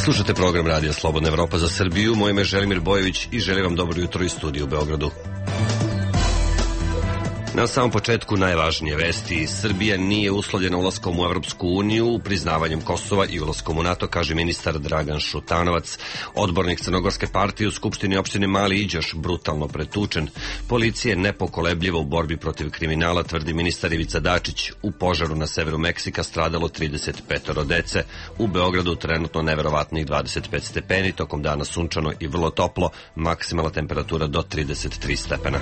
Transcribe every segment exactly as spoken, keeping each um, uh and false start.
Slušate program Radija Slobodna Evropa za Srbiju. Moje ime je Želimir Bojević i želim vam dobro jutro iz studija u Beogradu. Na samom početku najvažnije vesti. Srbija nije uslovljena ulaskom u Evropsku uniju, priznavanjem Kosova i ulaskom u NATO, kaže ministar Dragan Šutanovac. Odbornik Crnogorske partije u Skupštini opštine Mali Iđoš brutalno pretučen. Policija je nepokolebljiva u borbi protiv kriminala, tvrdi ministar Ivica Dačić. U požaru na severu Meksika stradalo trideset pet dece. U Beogradu trenutno neverovatnih dvadeset pet stepeni, tokom dana sunčano i vrlo toplo, maksimalna temperatura do trideset tri stepena.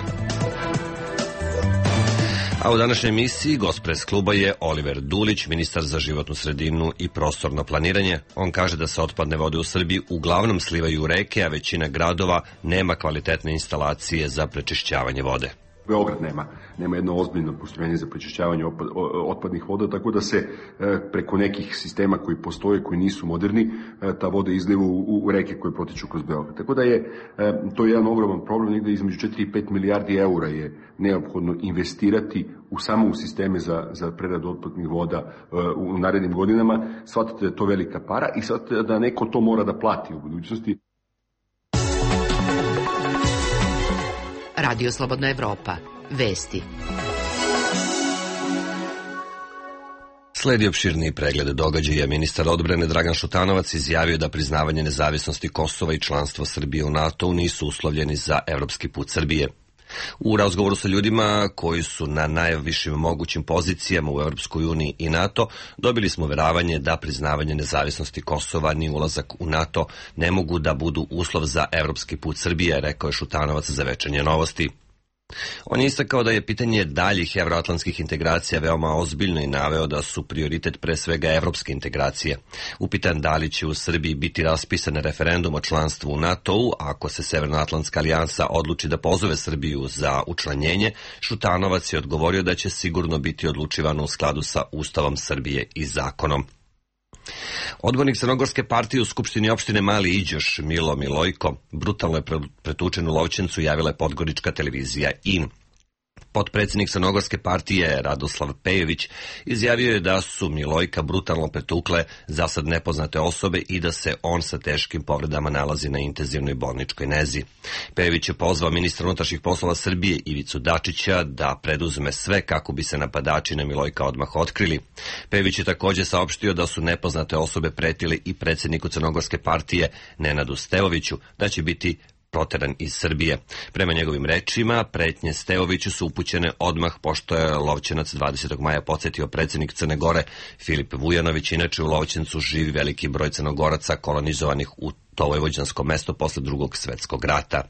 A u današnjoj emisiji gost pres kluba je Oliver Dulić, ministar za životnu sredinu i prostorno planiranje. On kaže da se otpadne vode u Srbiji uglavnom slivaju u reke, a većina gradova nema kvalitetne instalacije za prečišćavanje vode. Beograd nema, nema jedno ozbiljno postrojenje za prečišćavanje otpadnih voda, tako da se preko nekih sistema koji postoje, koji nisu moderni, ta voda izliva u, u reke koje protiču kroz Beograd. Tako da je to jedan ogroman problem, negde između četiri i pet milijardi eura je neophodno investirati u samo u sisteme za, za preradu otpadnih voda u narednim godinama. Shvatite da je to velika para i shvatite da neko to mora da plati u budućnosti. Radio Slobodna Evropa. Vesti. Sledi opširniji pregled događaja. Ministar odbrane Dragan Šutanovac izjavio da priznavanje nezavisnosti Kosova i članstvo Srbije u NATO nisu uslovljeni za evropski put Srbije. U razgovoru sa ljudima koji su na najvišim mogućim pozicijama u Evropskoj uniji i NATO, dobili smo uveravanje da priznavanje nezavisnosti Kosova ni ulazak u NATO ne mogu da budu uslov za evropski put Srbije, rekao je Šutanovac za Večernje novosti. On je istakao da je pitanje daljih evroatlantskih integracija veoma ozbiljno i naveo da su prioritet pre svega evropske integracije. Upitan da li će u Srbiji biti raspisan referendum o članstvu u NATO-u, ako se Severnoatlantska alijansa odluči da pozove Srbiju za učlanjenje, Šutanovac je odgovorio da će sigurno biti odlučivano u skladu sa Ustavom Srbije i zakonom. Odbornik Crnogorske partije u Skupštini opštine Mali Iđoš Milo Milojko brutalno je pretučen u Lovćencu, javila je podgorička televizija I N. Potpredsjednik Crnogorske partije Radoslav Pejović izjavio je da su Milojka brutalno pretukle za sad nepoznate osobe i da se on sa teškim povredama nalazi na intenzivnoj bolničkoj nezi. Pejović je pozvao ministra unutrašnjih poslova Srbije Ivicu Dačića da preduzme sve kako bi se napadači na Milojka odmah otkrili. Pejović je također saopštio da su nepoznate osobe pretile i predsjedniku Crnogorske partije Nenadu Stevoviću da će biti proteran iz Srbije. Prema njegovim rečima, pretnje Stevoviću su upućene odmah pošto je Lovćenac dvadesetog maja podsjetio predsjednik Crne Gore Filip Vujanović. Inače u Lovćencu živi veliki broj Crnogoraca kolonizovanih u to vojvođansko mesto posle drugog svetskog rata.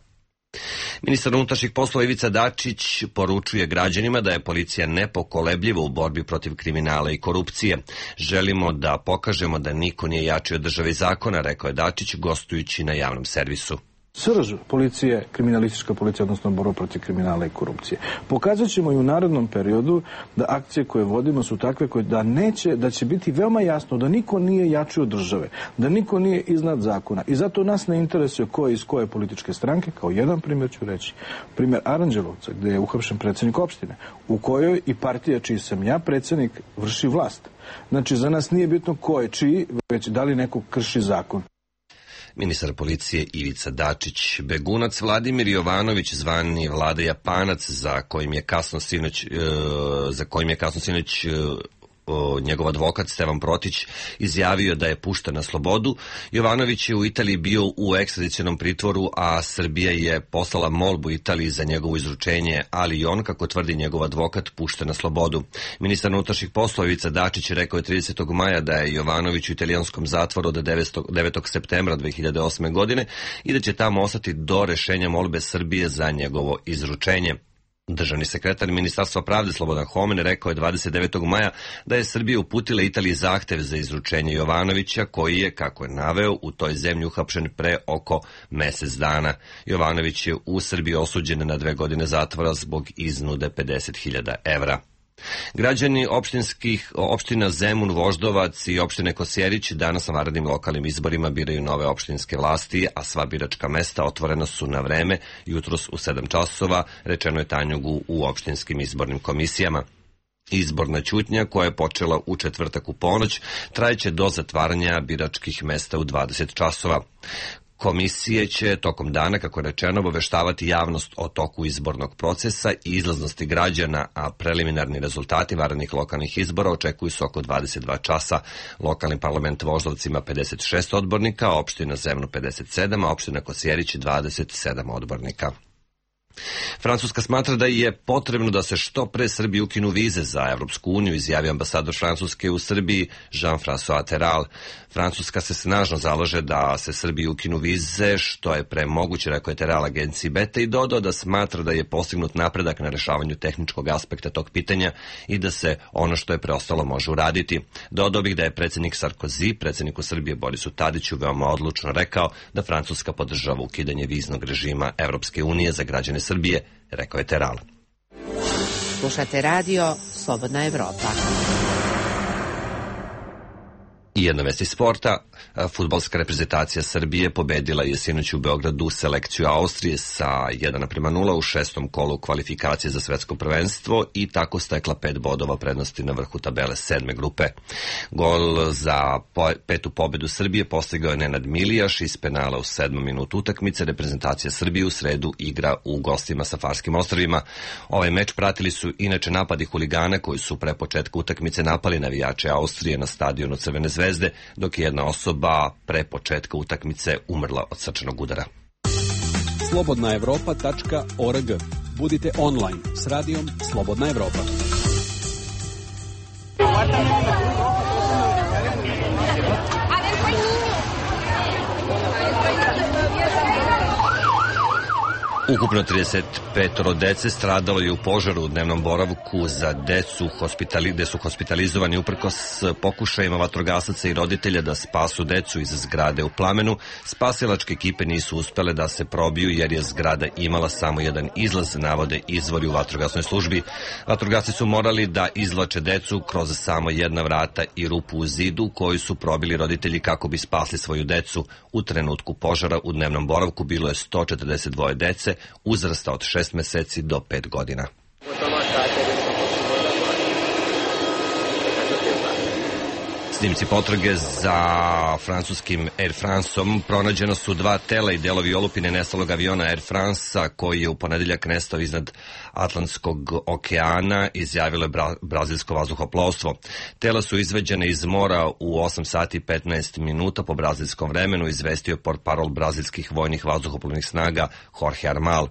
Ministar unutrašnjih poslova Ivica Dačić poručuje građanima da je policija nepokolebljiva u borbi protiv kriminala i korupcije. Želimo da pokažemo da niko nije jači od države i zakona, rekao je Dačić gostujući na javnom servisu. Srž policije, kriminalistička policija, odnosno borba protiv kriminala i korupcije. Pokazat ćemo i u narednom periodu da akcije koje vodimo su takve koje da neće, da će biti veoma jasno da niko nije jači od države, da niko nije iznad zakona. I zato nas ne interesuje ko je iz koje političke stranke, kao jedan primjer ću reći. Primjer Aranđelovca, gdje je uhapšen predsjednik opštine, u kojoj i partija čiji sam ja predsjednik vrši vlast. Znači, za nas nije bitno ko je čiji, već da li neko krši zakon. Ministar policije Ivica Dačić. Begunac Vladimir Jovanović, zvani Vlada Japanac, za kojim je kasno sinoć, za kojim je kasno sinoć njegov advokat Stevan Protić izjavio da je pušten na slobodu. Jovanović je u Italiji bio u ekstradicionom pritvoru, a Srbija je poslala molbu Italiji za njegovo izručenje, ali i on, kako tvrdi njegov advokat, pušten na slobodu. Ministar unutrašnjih poslova Ivica Dačić rekao je tridesetog maja da je Jovanović u italijanskom zatvoru od devetog septembra dve hiljade osme. godine i da će tamo ostati do rešenja molbe Srbije za njegovo izručenje. Državni sekretar Ministarstva pravde Slobodan Homen rekao je dvadeset devetog maja da je Srbija uputila Italiji zahtev za izručenje Jovanovića, koji je, kako je naveo, u toj zemlji uhapšen pre oko mesec dana. Jovanović je u Srbiji osuđen na dve godine zatvora zbog iznude pedeset hiljada evra. Građani opštinskih opština Zemun, Voždovac i opštine Kosjerić danas na vanrednim lokalnim izborima biraju nove opštinske vlasti, a sva biračka mesta otvorena su na vreme jutros u sedam časova, rečeno je Tanjugu u opštinskim izbornim komisijama. Izborna ćutnja, koja je počela u četvrtak u ponoć, trajeće do zatvaranja biračkih mesta u dvadeset časova. Komisije će tokom dana, kako je rečeno, obaveštavati javnost o toku izbornog procesa i izlaznosti građana, a preliminarni rezultati vanrednih lokalnih izbora očekuju se oko dvadeset dva časa. Lokalni parlament Voždovac ima pedeset šest odbornika, opština Zemno pedeset sedam, a opština Kosjerić dvadeset sedam odbornika. Francuska smatra da je potrebno da se što pre Srbiji ukinu vize za Evropsku uniju, izjavio ambasador Francuske u Srbiji Jean-François Terral. Francuska se snažno zalaže da se Srbiji ukinu vize, što je pre moguće, rekao je Terral agenciji Beta, i dodao da smatra da je postignut napredak na rešavanju tehničkog aspekta tog pitanja i da se ono što je preostalo može uraditi. Dodao bih da je predsjednik Sarkozy predsjedniku Srbije Borisu Tadiću veoma odlučno rekao da Francuska podržava ukidanje viznog režima Evropske unije za građane Srbije, rekao je Terral. Slušate radio Slobodna Evropa. I jedna vest iz sporta. Fudbalska reprezentacija Srbije pobedila je sinoć u Beogradu selekciju Austrije sa jedan naprema nula u šestom kolu kvalifikacije za svetsko prvenstvo i tako stekla pet bodova prednosti na vrhu tabele sedme grupe. Gol za po, petu pobedu Srbije postigao je Nenad Milijaš iz penala u sedmom minutu utakmice. Reprezentacija Srbije u sredu igra u gostima sa Farskim ostrvima. Ovaj meč pratili su inače napadi huligana koji su pre početka utakmice napali navijače Austrije na stadionu Crvene zvezde, dok je jedna osoba pre početka utakmice umrla od srčanog udara. slobodna evropa tačka org. Budite online s radijom Slobodna Evropa. Ukupno trideset pet dece stradalo je u požaru u dnevnom boravku za decu hospitali, gde su hospitalizovani uprkos pokušajima vatrogasaca i roditelja da spasu decu iz zgrade u plamenu. Spasilačke ekipe nisu uspele da se probiju jer je zgrada imala samo jedan izlaz, navode izvori u vatrogasnoj službi. Vatrogasci su morali da izvlače decu kroz samo jedna vrata i rupu u zidu koju su probili roditelji kako bi spasli svoju decu. U trenutku požara u dnevnom boravku bilo je sto četrdeset dvoje dece uzrasta od šest meseci do pet godina. Snimci potrage za francuskim Air Franceom pronađeno su dva tela i delovi olupine nestalog aviona Air France-a koji je u ponedeljak nestao iznad Atlantskog okeana, izjavilo je bra brazilsko vazduhoplovstvo. Tela su izveđene iz mora u osam sati i petnaest minuta po brazilskom vremenu, izvestio portparol brazilskih vojnih vazduhoplovnih snaga Jorge Armal.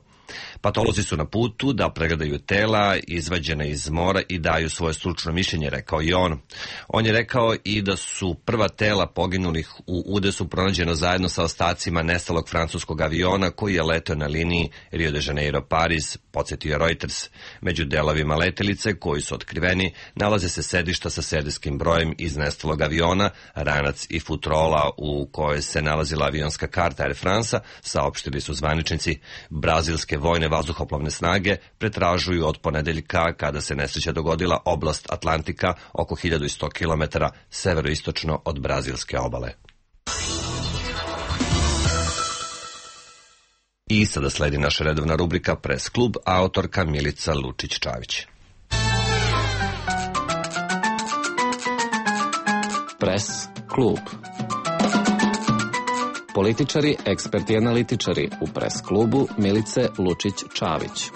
Patolozi su na putu da pregledaju tela izvađene iz mora i daju svoje stručno mišljenje, rekao i on. On je rekao i da su prva tela poginulih u udesu pronađeno zajedno sa ostacima nestalog francuskog aviona koji je leteo na liniji Rio de Janeiro-Pariz, podsjetio Reuters. Među delovima letelice koji su otkriveni nalaze se sedišta sa serijskim brojem iz nestalog aviona, ranac i futrola u kojoj se nalazila avionska karta Air France-a, saopštili su zvaničnici. Brazilske vojne vazduhoplovne snage pretražuju od ponedeljka kada se nesreća dogodila oblast Atlantika oko hiljadu sto kilometara severoistočno od brazilske obale. I sada sledi naša redovna rubrika Pres klub, autorka Milica Lučić-Čavić. Pres klub. Političari, eksperti i analitičari u Pres klubu Milice Lučić-Čavić.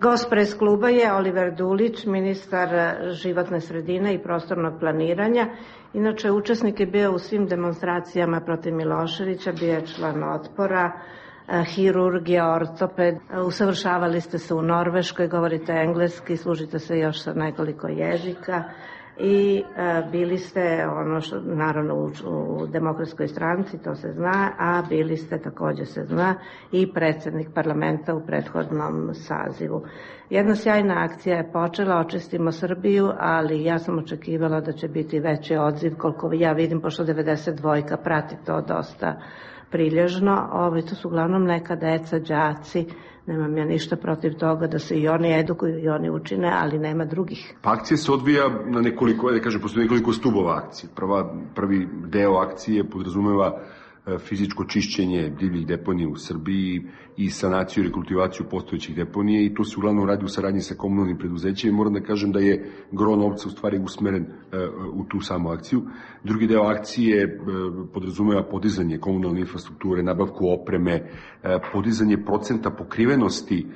Gost Pres kluba je Oliver Dulić, ministar životne sredine i prostornog planiranja. Inače, učesnik je bio u svim demonstracijama protiv Miloševića, bio je član Otpora, hirurgija, ortoped. Usavršavali ste se u Norveškoj, govorite engleski, služite se još sa nekoliko jezika. I e, bili ste, ono što, naravno, u, u Demokratskoj stranci, to se zna, a bili ste, također se zna, i predsjednik parlamenta u prethodnom sazivu. Jedna sjajna akcija je počela, Očistimo Srbiju, ali ja sam očekivala da će biti veći odziv, koliko ja vidim, pošto devedeset dva prati to dosta prilježno. Ovo, to su uglavnom neka deca, đaci. Nemam ja ništa protiv toga da se i oni edukuju i oni učine, ali nema drugih. Pa akcija se odvija na nekoliko, da kažem, postoji nekoliko stubova akcije. Prva, prvi deo akcije podrazumeva fizičko čišćenje divljih deponija u Srbiji i sanaciju i rekultivaciju postojećih deponija i to se uglavnom radi u saradnji sa komunalnim preduzećima i moram da kažem da je gro novca u stvari usmeren u tu samu akciju. Drugi deo akcije podrazumeva podizanje komunalne infrastrukture, nabavku opreme, podizanje procenta pokrivenosti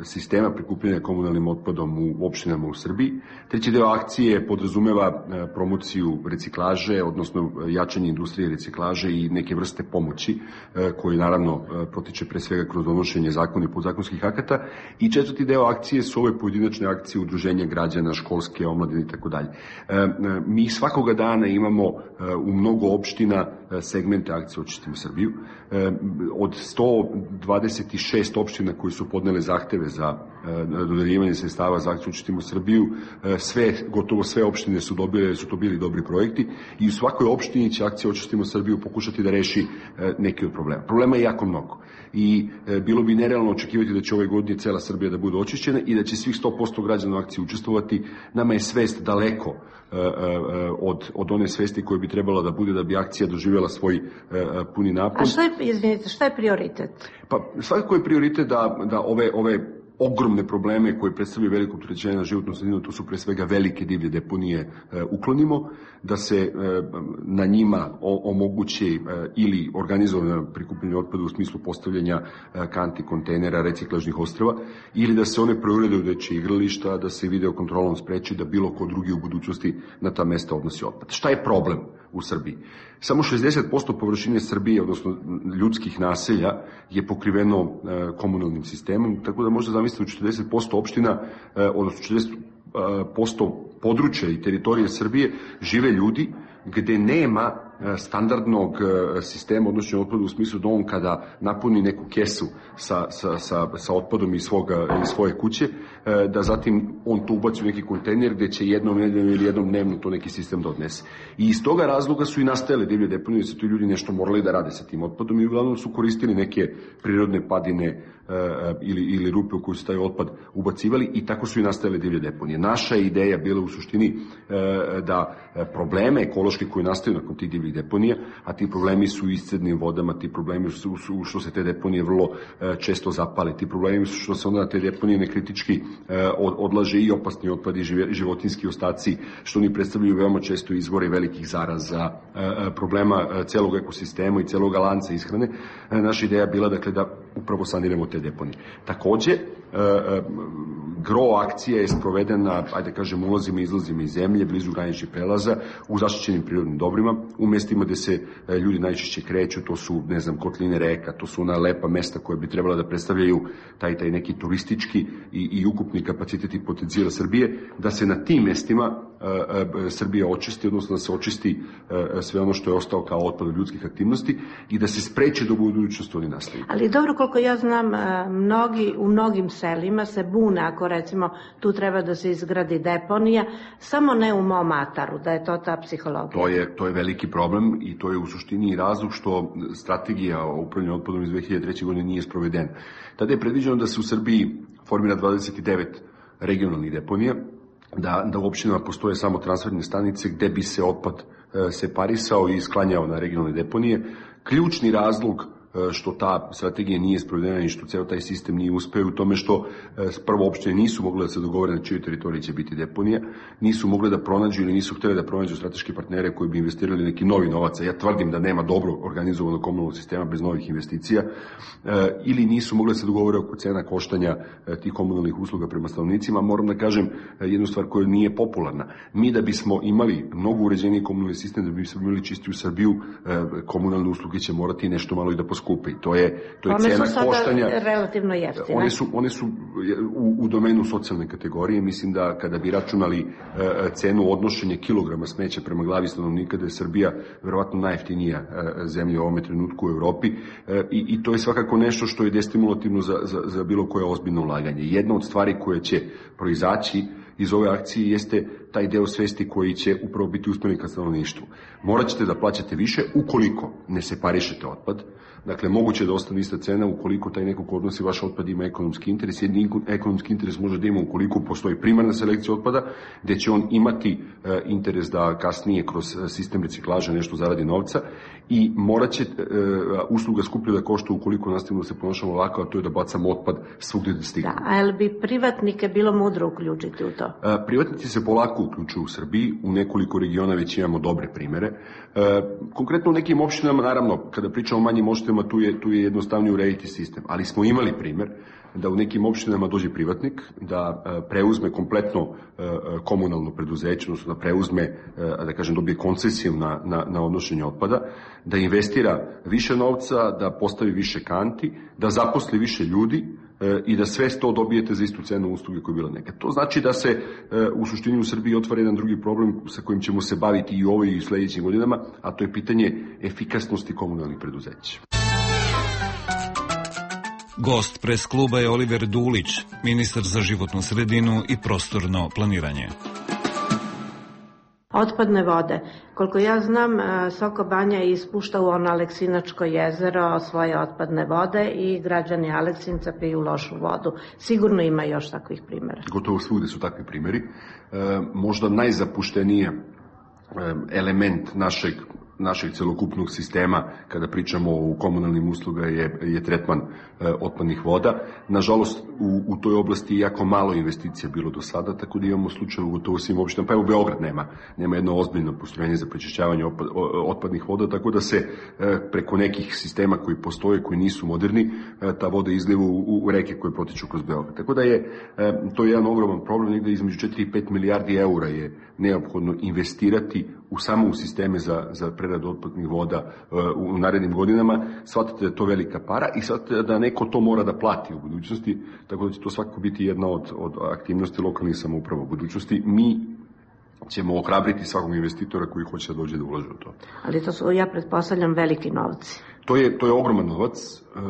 sistema prikupljanja komunalnim otpadom u opštinama u Srbiji. Treći deo akcije podrazumeva promociju reciklaže, odnosno jačanje industrije reciklaže i neke vrste pomoći koje naravno protiče pre svega kroz donošenje zakona i podzakonskih akata. I četvrti deo akcije su ove pojedinačne akcije udruženja građana, školske, omladine i tako dalje. Mi svakoga dana imamo u mnogo opština segmente akcije Očistimo Srbiju. Od sto dvadeset šest opština koji su podnele zahteve za dodeljivanje sredstava za akciju Očistimo Srbiju, sve, gotovo sve opštine su dobile, su to bili dobri projekti i u svakoj opštini će akcija Očistimo Srbiju pokušati da reši neki od problema. Problema je jako mnogo i bilo bi nerealno očekivati da će ove godine cela Srbija da bude očišćena i da će svih sto posto građana u akciji učestvovati. Nama je svest daleko od, od one svesti koje bi trebala da bude da bi akcija doživjela svoj puni napon. A šta je, izvinite, šta je prioritet? Pa svakako je prioritet da, da ove, ove ogromne probleme koje predstavljaju veliko opterećenje na životnu sredinu, to su pre svega velike divlje deponije, e, uklonimo, da se e, na njima o, omogući e, ili organizovano prikupljanje otpada u smislu postavljanja e, kanti, kontejnera, reciklažnih ostrva, ili da se one preurede u dečje igrališta, da se video kontrolom spreči da bilo ko drugi u budućnosti na ta mesta odnosi otpad. Šta je problem u Srbiji? Samo šezdeset posto površine Srbije, odnosno ljudskih naselja, je pokriveno e, komunalnim sistemom, tako da možda zamisliti u četrdeset posto opština, e, odnosno četrdeset posto područja i teritorije Srbije žive ljudi gde nema standardnog sistema odnošenja otpada u smislu da on kada napuni neku kesu sa, sa, sa, sa otpadom iz, svoga, iz svoje kuće, da zatim on to ubaci u neki kontejner gde će jednom nedeljno ili jednom dnevno to neki sistem da odnese. I iz toga razloga su i nastajale divlje deponije, da su tu ljudi nešto morali da rade sa tim otpadom i uglavnom su koristili neke prirodne padine ili, ili rupe u koju su taj otpad ubacivali i tako su i nastajale divlje deponije. Naša ideja bila u suštini da probleme ekološke koje nastaju nakon tih divljih deponija, a ti problemi su u iscednim vodama, ti problemi su, su što se te deponije vrlo često zapale, ti problemi su što se onda na te deponije nekritički odlaže i opasni otpad i životinski ostaci, što oni predstavljaju veoma često izvore velikih zaraza, problema celog ekosistema i celog lanca ishrane. Naša ideja bila dakle da upravo saniramo te deponije. Takođe, gro akcija je sprovedena, ajde kažem, ulazima i izlazima iz zemlje, blizu graničnih prelaza, u zaštićenim prirodnim dobrima, u mestima gde se ljudi najčešće kreću, to su, ne znam, kotline reka, to su ona lepa mesta koje bi trebala da predstavljaju taj, taj neki turistički i, i ukupni kapacitet i potencijal Srbije, da se na tim mestima Srbija očisti, odnosno da se očisti sve ono što je ostao kao otpad od ljudskih aktivnosti i da se spreče da u budućnosti oni nastaju. Ali dobro, koliko ja znam, mnogi, u mnogim selima se bune ako recimo tu treba da se izgradi deponija, samo ne u mom ataru, da je to ta psihologija. To je, to je veliki problem i to je u suštini i razlog što strategija o upravljanju otpadom iz dve hiljade treće. godine nije sprovedena. Tada je predviđeno da se u Srbiji formira dvadeset devet regionalnih deponija, da, da u opštinama postoje samo transferne stanice gde bi se otpad e, separisao i sklanjao na regionalne deponije. Ključni razlog što ta strategija nije sprovedena i što ceo taj sistem nije uspeo u tome što prvo opštine nisu mogle da se dogovore na čijoj teritoriji će biti deponija, nisu mogle da pronađu ili nisu hteli da pronađu strateške partnere koji bi investirali neki novi novac. Ja tvrdim da nema dobro organizovanog komunalnog sistema bez novih investicija, ili nisu mogle da se dogovore oko cena koštanja tih komunalnih usluga prema stanovnicima. Moram da kažem jednu stvar koja nije popularna. Mi da bismo imali mnogo uređeniji komunalni sistem, da bismo imali čistiju Srbiju, komunalne usluge će morati nešto malo i da poskupe. To je, to je one cena su sada koštanja. Relativno jeftine. One su, one su u, u domenu socijalne kategorije. Mislim da kada bi računali uh, cenu odnošenja kilograma smeća prema glavi stanovnika, da je Srbija verovatno najjeftinija uh, zemlja u ovome trenutku u Evropi, uh, i, i to je svakako nešto što je destimulativno za, za, za bilo koje ozbiljno ulaganje. Jedna od stvari koje će proizaći iz ove akcije jeste taj deo svesti koji će upravo biti usmjeren ka stanovništvu. Morat ćete da plaćate više ukoliko ne separišete otpad. Dakle, moguće da ostane ista cena ukoliko taj neko ko odnosi vaš otpad ima ekonomski interes. Jedni ekonomski interes može da ima ukoliko postoji primarna selekcija otpada, gde će on imati e, interes da kasnije kroz sistem reciklaže nešto zaradi novca i morat će e, usluga skuplje da košta ukoliko nastavimo da se ponašamo ovako, a to je da bacamo otpad svugdje da stigne. Da, a je li bi privatnike bilo mudro uključiti u to? E, privatnici se polako uključuju u Srbiji, u nekoliko regiona već imamo dobre primere. E, konkretno u nekim opštinama, naravno, kada pričamo o manjim opštinama, tu je, tu je jednostavnije urediti sistem, ali smo imali primer da u nekim opštinama dođe privatnik, da preuzme kompletno komunalno preduzeće, odnosno da preuzme, da kažem, dobije koncesiju na, na, na odnošenje otpada, da investira više novca, da postavi više kanti, da zaposli više ljudi i da sve to dobijete za istu cenu usluge koja je bila nekad. To znači da se u suštini u Srbiji otvara jedan drugi problem sa kojim ćemo se baviti i u ovoj i u sledećim godinama, a to je pitanje efikasnosti komunalnih preduzeća. Gost pres kluba je Oliver Dulić, ministar za životnu sredinu i prostorno planiranje. Otpadne vode. Koliko ja znam, Soko Banja ispušta u ono Aleksinačko jezero svoje otpadne vode i građani Aleksinca piju lošu vodu. Sigurno ima još takvih primjera. Gotovo svugde su takvi primjeri. E, možda najzapušteniji element našeg našeg celokupnog sistema, kada pričamo o komunalnim usluga, je, je tretman e, otpadnih voda. Nažalost, u, u toj oblasti jako malo investicija bilo do sada, tako da imamo slučaj u gotovo svim opštinama, pa evo Beograd nema, nema jedno ozbiljno postrojenje za prečišćavanje otpad, otpadnih voda, tako da se e, preko nekih sistema koji postoje, koji nisu moderni, e, ta voda izliva u, u reke koje protiču kroz Beograd. Tako da je e, to je jedan ogroman problem, negde između četiri i pet milijardi eura je neophodno investirati u samo u sisteme za, za preradu otpadnih voda uh, u narednim godinama. Shvatite da je to velika para i shvatite da neko to mora da plati u budućnosti, tako da će to svakako biti jedna od, od aktivnosti lokalnih samouprava u budućnosti. Mi ćemo ohrabriti svakog investitora koji hoće da dođe da ulaže u to. Ali to su, ja pretpostavljam, veliki novci. To je, to je ogroman novac uh,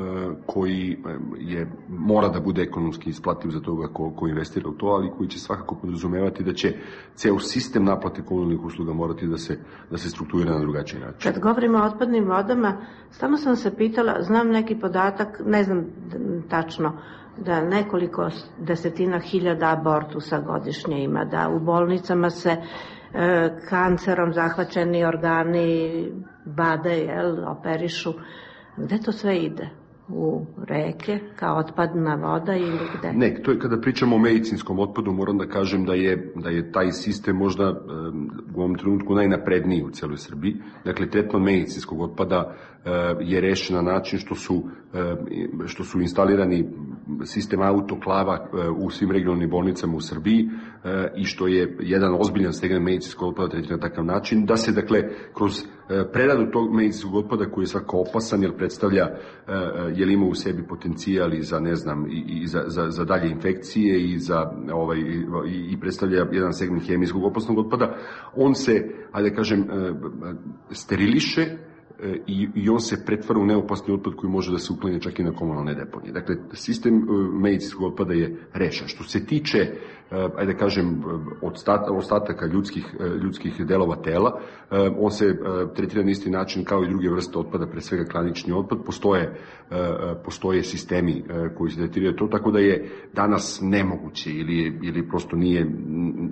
koji je, mora da bude ekonomski isplativ za toga ko, ko investira u to, ali koji će svakako podrazumevati da će ceo sistem naplate komunalnih usluga morati da se, da se strukturira na drugačiji način. Kad govorimo o otpadnim vodama, stalno sam se pitala, znam neki podatak, ne znam tačno, da nekoliko desetina hiljada abortusa godišnje ima, da u bolnicama se e, kancerom zahvaćeni organi bade, jel, operišu. Gde to sve ide? U reke, kao otpadna voda ili gde? Ne, to je kada pričamo o medicinskom otpadu, moram da kažem da je, da je taj sistem možda um, u ovom trenutku najnapredniji u celoj Srbiji. Dakle, tretman medicinskog otpada uh, je rešen na način što su, uh, što su instalirani sistem autoklava uh, u svim regionalnim bolnicama u Srbiji uh, i što je jedan ozbiljan segment medicinskog otpada tretiran na takav način, da se, dakle, kroz uh, preradu tog medicinskog otpada koji je svako opasan, jer predstavlja uh, jer ima u sebi potencijal i za, ne znam, i, i za, za, za dalje infekcije i za ovaj i, i predstavlja jedan segment hemijskog opasnog otpada, on se, ajde da kažem, steriliše i, i on se pretvara u neopasni otpad koji može da se uklanja čak i na komunalne deponije. Dakle, sistem medicinskog otpada je rešen. Što se tiče, ajde da kažem, ostataka ljudskih, ljudskih delova tela, on se tretira na isti način kao i druge vrste otpada, pre svega klanični otpad. Postoje, postoje sistemi koji se tretiraju to, tako da je danas nemoguće ili, ili prosto nije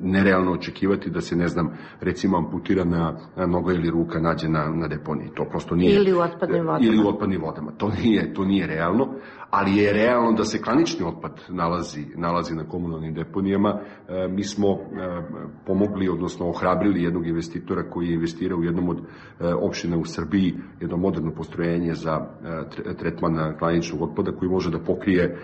nerealno očekivati da se, ne znam, recimo amputirana noga ili ruka nađe na, na deponiji. To prosto nije. Ili u otpadnim vodama. Ili u otpadnim vodama. To nije, to nije realno, ali je realno da se klanični otpad nalazi, nalazi na komunalnim deponijama. E, mi smo e, pomogli, odnosno ohrabrili jednog investitora koji je investirao u jednom od e, opština u Srbiji, jedno moderno postrojenje za e, tretman klaničnog otpada koji može da pokrije e,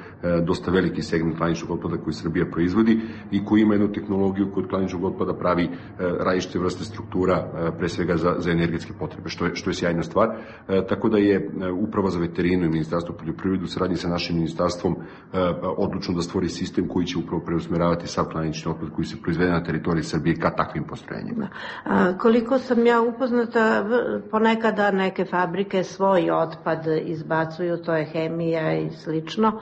dosta veliki segment klaničnog otpada koji Srbija proizvodi i koji ima jednu tehnologiju kod klaničnog otpada pravi e, različite vrste struktura, e, pre svega za, za energetske potrebe, što je, što je sjajna stvar. E, tako da je e, Uprava za veterinu i Ministarstvo poljoprivrede u saradnji sa našim ministarstvom e, odlučno da stvori sistem koji će upravo preusmeravati sav klanični otpad koji se proizvede na teritoriji Srbije ka takvim postrojenjima. A, koliko sam ja upoznata, ponekada neke fabrike svoj otpad izbacuju, to je hemija i slično,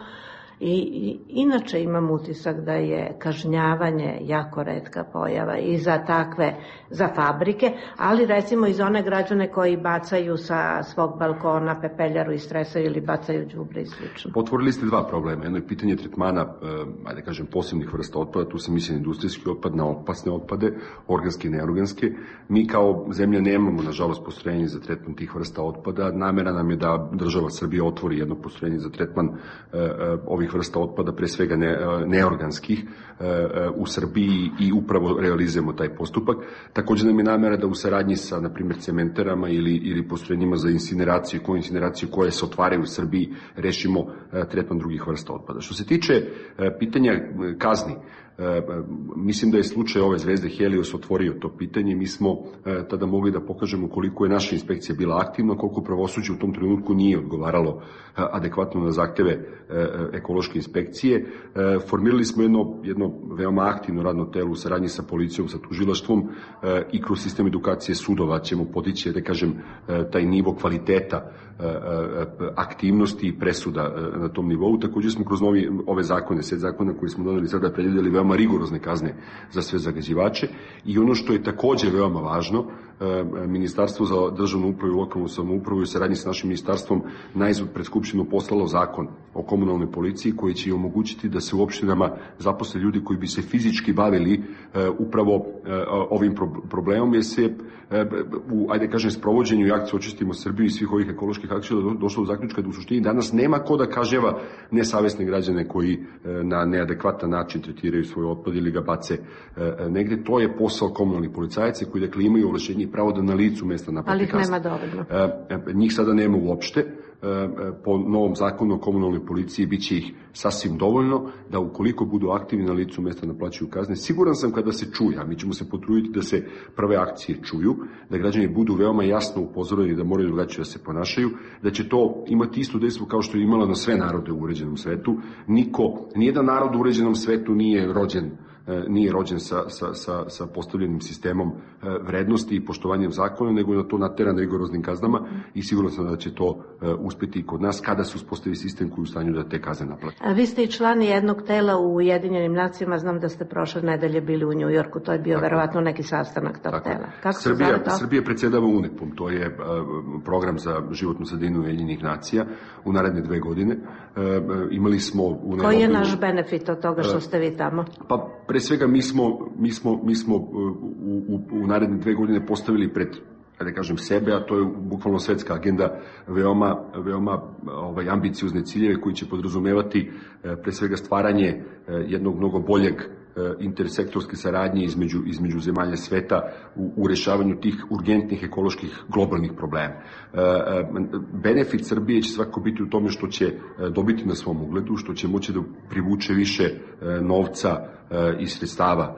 I, i inače imam utisak da je kažnjavanje jako retka pojava i za takve, za fabrike, ali recimo i za one građane koji bacaju sa svog balkona pepeljaru i stresaju ili bacaju đubre i slično. Otvorili ste dva problema. Jedno je pitanje tretmana, eh, ajde kažem, posebnih vrsta otpada, tu se misli na industrijski otpad, na opasne otpade, organske i neorganske. Mi kao zemlja nemamo, nažalost, postrojenje za tretman tih vrsta otpada. Namera nam je da država Srbija otvori jedno postrojenje za tretman eh, ovih vrsta otpada, pre svega ne, neorganskih, eh, u Srbiji i upravo realizujemo taj postupak. Također nam je namera da u saradnji sa, na primjer, cementerama ili, ili postrojenjima za incineraciju, koju incineraciju koje se otvaraju u Srbiji, rešimo eh, tretman drugih vrsta otpada. Što se tiče eh, pitanja kazni, E, mislim da je slučaj ove zvezde Helios otvorio to pitanje. Mi smo e, tada mogli da pokažemo koliko je naša inspekcija bila aktivna, koliko pravosuđe u tom trenutku nije odgovaralo e, adekvatno na zahteve e, ekološke inspekcije. E, formirali smo jedno, jedno veoma aktivno radno telo u saradnji sa policijom, sa tužilaštvom e, i kroz sistem edukacije sudova ćemo podići, da kažem, e, taj nivo kvaliteta e, e, aktivnosti i presuda e, na tom nivou. Također smo kroz novi, ove zakone, set zakona koje smo doneli sada predvidjeli veoma rigorozne kazne za sve zagađivače i ono što je također veoma važno, Ministarstvo za državnu upravu i lokalnu samoupravu u saradnji sa našim ministarstvom najzad pred Skupštinu poslalo zakon o komunalnoj policiji koji će omogućiti da se u opštinama zaposle ljudi koji bi se fizički bavili upravo ovim problemom, jer se u, ajde kažem, sprovođenju i akciju Očistimo Srbiju i svih ovih ekoloških akcija došlo do zaključka da u suštini danas nema ko da kažnjava nesavesne građane koji na neadekvatan način tretiraju svoj otpad ili ga bace negde. To je posao komunalnih policajaca koji, dakle, imaju ovlašćenje i pravo da na licu mesta naplati kazne. Ali ih nema dovoljno. Njih sada nema uopšte. Po novom zakonu o komunalnoj policiji biće ih sasvim dovoljno da ukoliko budu aktivni na licu mesta naplaćuju kazne. Siguran sam kada se čuje, a mi ćemo se potruditi da se prve akcije čuju, da građani budu veoma jasno upozoreni da moraju drugačije da se ponašaju, da će to imati isto dejstvo kao što je imala na sve narode u uređenom svetu. Niko, nijedan narod u uređenom svetu nije rođen nije rođen sa, sa, sa, sa postavljenim sistemom vrednosti i poštovanjem zakona, nego je na to nateran rigoroznim kaznama i sigurno sam da će to uspeti i kod nas kada se uspostavi sistem koji je u stanju da te kazne naplati. A vi ste i člani jednog tela u Ujedinjenim nacijama, znam da ste prošle nedelje bili u Njujorku, to je bio tako verovatno neki sastanak tog tako tela. Kako Srbija, se zove to? Srbija predsjedava U N E P-om, to je program za životnu sredinu Ujedinjenih nacija u naredne dve godine. Imali smo u Koji je naš benefit od toga što ste vi tamo? Pa pre svega mi smo, mi smo, mi smo u, u, u naredne dve godine postavili pred, da kažem, sebe, a to je bukvalno svetska agenda, veoma, veoma ovaj, ambiciozne ciljeve koji će podrazumevati pre svega stvaranje jednog mnogo boljeg intersektorske saradnje između, između zemalja sveta u, u rešavanju tih urgentnih ekoloških globalnih problema. Benefit Srbije će svako biti u tome što će dobiti na svom ugledu, što će moći da privuče više novca i sredstava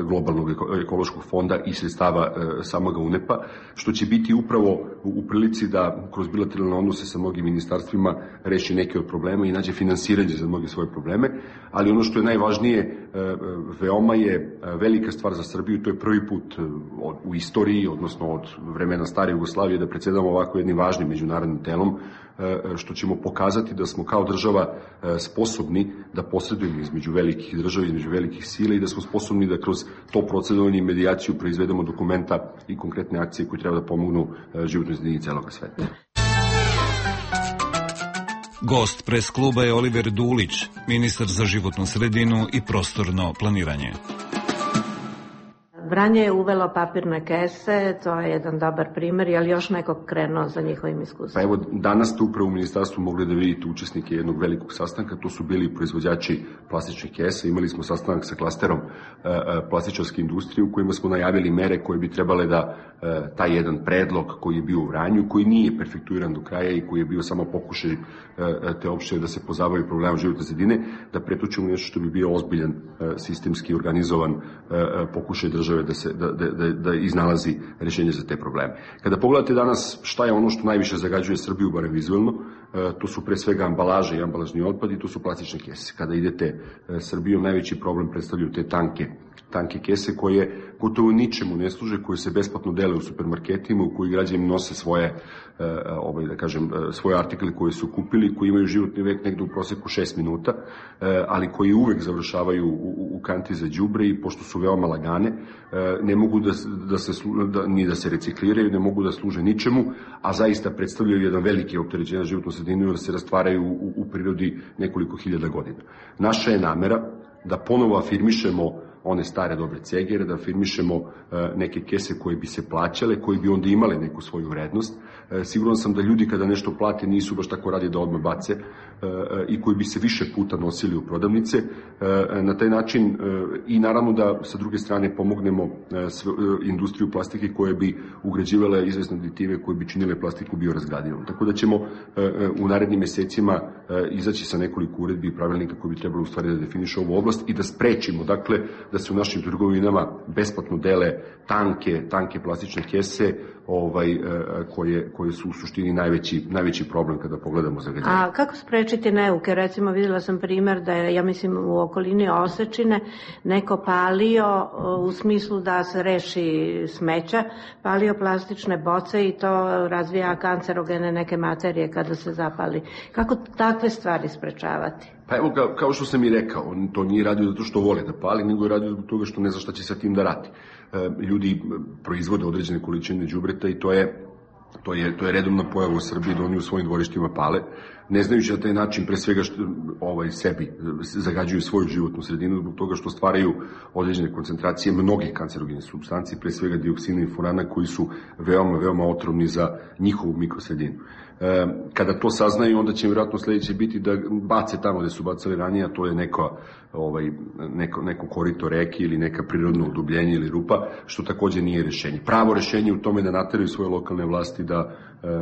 globalnog ekološkog fonda i sredstava samoga U N E P-a, što će biti upravo u prilici da kroz bilateralne odnose sa mnogim ministarstvima reši neke od problema i nađe finansiranje za mnoge svoje probleme, ali ono što je najvažnije, veoma je velika stvar za Srbiju, to je prvi put u istoriji, odnosno od vremena stare Jugoslavije, da predsjedamo ovako jednim važnim međunarodnim telom, što ćemo pokazati da smo kao država sposobni da posredujemo između velikih država, između velikih sila i da smo sposobni da kroz to procedovanje i medijaciju proizvedemo dokumenta i konkretne akcije koje treba da pomognu životnoj sredini celoga sveta. Gost pres kluba je Oliver Dulić, ministar za životnu sredinu i prostorno planiranje. Vranje je uvelo papirne kese, to je jedan dobar primjer, je li još nekog krenuo za njihovim iskustvom? Pa evo, danas ste upravo u ministarstvu mogli da vidite učesnike jednog velikog sastanka, to su bili proizvođači plastičnih kesa, imali smo sastanak sa klasterom e, plastičarske industrije u kojima smo najavili mere koje bi trebale da e, taj jedan predlog koji je bio u Vranju, koji nije perfektuiran do kraja i koji je bio samo pokušaj e, te opštine da se pozabavi problemom životne sredine, da pretočimo nešto što bi bio ozbiljan e, sistemski organizovan e, pokušaj države da se da, da, da iznalazi rješenje za te probleme. Kada pogledate danas šta je ono što najviše zagađuje Srbiju, barem vizuelno, to su pre svega ambalaže i ambalažni otpad i to su plastične kese. Kada idete Srbijom, najveći problem predstavljaju te tanke tanke kese koje gotovo ničemu ne služe, koje se besplatno dele u supermarketima, u koji građani nose svoje, ovaj, da kažem, svoje artikle koje su kupili, koji imaju životni vek negde u proseku šest minuta, ali koji uvek završavaju u, u kanti za đubre i pošto su veoma lagane, ne mogu da, da se, da, ni da se recikliraju, ne mogu da služe ničemu, a zaista predstavljaju jedan veliki opterećenje na životnu sredinu, da se rastvaraju u, u prirodi nekoliko hiljada godina. Naša je namera da ponovo afirmišemo one stare dobre cegere, da afirmišemo uh, neke kese koje bi se plaćale, koje bi onda imale neku svoju vrednost. Uh, siguran sam da ljudi kada nešto plate nisu baš tako radi da odmah bace uh, uh, i koji bi se više puta nosili u prodavnice. Uh, na taj način uh, i naravno da sa druge strane pomognemo uh, sve, uh, industriju plastike koje bi ugrađivale izvesne aditive koje bi činile plastiku biorazgradivom. Tako da ćemo uh, uh, u narednim mesecima uh, izaći sa nekoliko uredbi i pravilnika koji bi trebalo u stvari da definiše ovu oblast i da sprečimo, dakle, da se u našim trgovinama besplatno dele tanke, tanke plastične kese ovaj, koje, koje su u suštini najveći, najveći problem kada pogledamo zagađenje. A kako sprečiti neuke? Recimo videla sam primer da je, ja mislim, u okolini Osečine neko palio u smislu da se reši smeća, palio plastične boce i to razvija kancerogene neke materije kada se zapali. Kako takve stvari sprečavati? Pa evo, kao što sam i rekao, on to nije radio zato što vole da pali, nego je radio zbog toga što ne zna šta će sa tim da radi. Ljudi proizvode određene količine đubreta i to je, to je, to je redovna pojava u Srbiji da oni u svojim dvorištima pale, ne znajući na taj način pre svega što, ovaj, sebi zagađuju svoju životnu sredinu zbog toga što stvaraju određene koncentracije mnogih kancerogenih supstanci, pre svega dioksina i furana koji su veoma, veoma otrovni za njihovu mikrosredinu. E, kada to saznaju, onda će vjerojatno sledeće biti da bace tamo gde su bacali ranije, a to je neko, ovaj, neko, neko korito reke ili neka prirodno udubljenje ili rupa, što takođe nije rešenje. Pravo rešenje u tome da nateraju svoje lokalne vlasti da,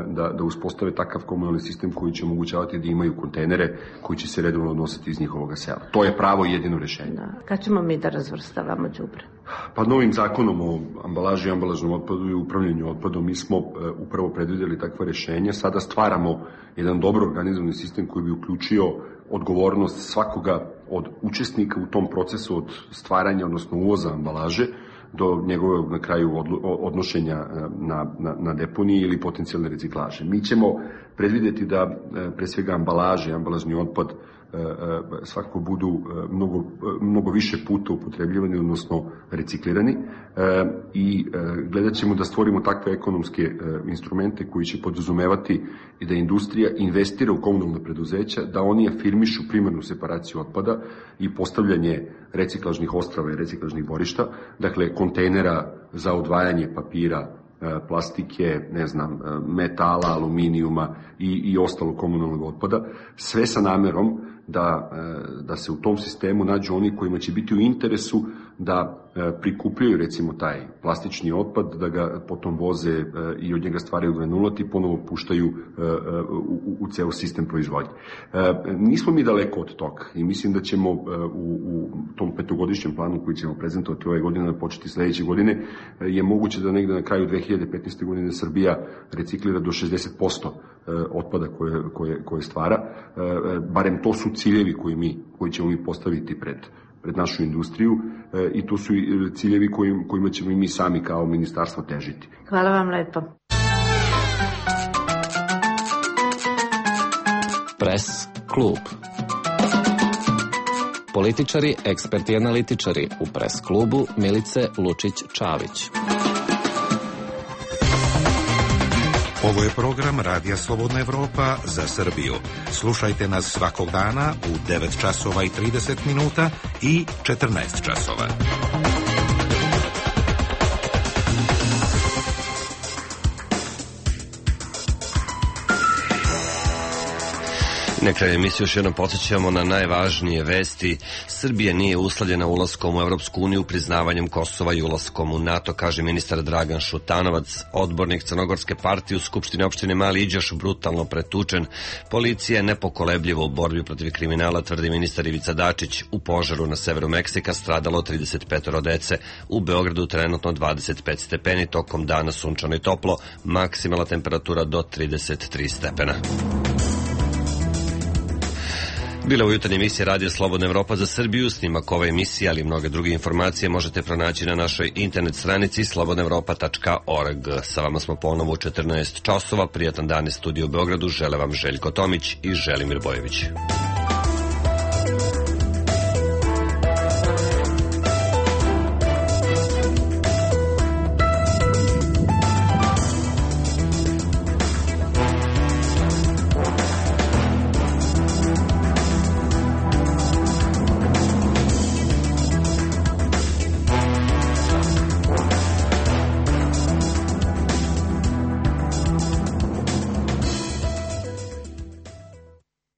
da, da uspostave takav komunalni sistem koji će omogućavati da imaju kontejnere koji će se redovno odnositi iz njihovog sela. To je pravo i jedino rešenje. Da. Kad ćemo mi da razvrstavamo đubre? Pa novim zakonom o ambalaži i ambalažnom otpadu i upravljanju otpadom mi smo uh, upravo predvideli takva rešenja. Sada stvaramo jedan dobro organizovani sistem koji bi uključio odgovornost svakoga od učesnika u tom procesu od stvaranja, odnosno uvoza ambalaže, do njegovog na kraju odnošenja na, na, na deponiji ili potencijalne reciklaže. Mi ćemo predvideti da pre svega ambalaže, ambalažni otpad svakako budu mnogo, mnogo više puta upotrebljivani, odnosno reciklirani i gledat ćemo da stvorimo takve ekonomske instrumente koji će podrazumevati i da industrija investira u komunalna preduzeća, da oni afirmišu primarnu separaciju otpada i postavljanje reciklažnih ostrava i reciklažnih dvorišta, dakle kontejnera za odvajanje papira, plastike, ne znam, metala, aluminijuma i, i ostalo komunalnog otpada, sve sa namerom da, da se u tom sistemu nađu oni kojima će biti u interesu da prikupljaju recimo taj plastični otpad, da ga potom voze i od njega stvaraju granulati i ponovo puštaju u, u ceo sistem proizvodnje. Nismo mi daleko od toga i mislim da ćemo u, u tom petogodišnjem planu koji ćemo prezentovati ove godine, da početi sledeće godine, je moguće da negde na kraju dve hiljade petnaeste. godine Srbija reciklira do šezdeset posto otpada koje, koje, koje stvara. Barem to su ciljevi koji, mi, koji ćemo mi postaviti pred pred našu industriju e, i to su ciljevi kojim, kojima ćemo i mi sami kao ministarstvo težiti. Hvala vam lepo. Press klub. Političari, eksperti i analitičari u Press klubu Milice Lučić-Čavić. Ovo je program Radija Slobodna Evropa za Srbiju. Slušajte nas svakog dana u devet časova i trideset minuta i četrnaest časova. Na kraju emisije još jednom podsjećamo na najvažnije vesti. Srbija nije uslovljena ulaskom u Evropsku uniju priznavanjem Kosova i ulaskom u NATO, kaže ministar Dragan Šutanovac. Odbornik Crnogorske partije u Skupštini opštine Mali Iđoš brutalno pretučen. Policija je nepokolebljiva u borbi protiv kriminala, tvrdi ministar Ivica Dačić. U požaru na severu Meksika stradalo trideset pet dece. U Beogradu trenutno dvadeset pet stepeni, tokom dana sunčano i toplo, maksimalna temperatura do trideset tri stepena. Bila u jutarnje emisije Radio Slobodna Evropa za Srbiju. Snimak ove emisije, ali i mnoge druge informacije možete pronaći na našoj internet stranici slobodna evropa tačka org. Sa vama smo ponovo u četrnaest časova. Prijatan dan iz studija u Beogradu. Žele vam Željko Tomić i Želimir Bojević.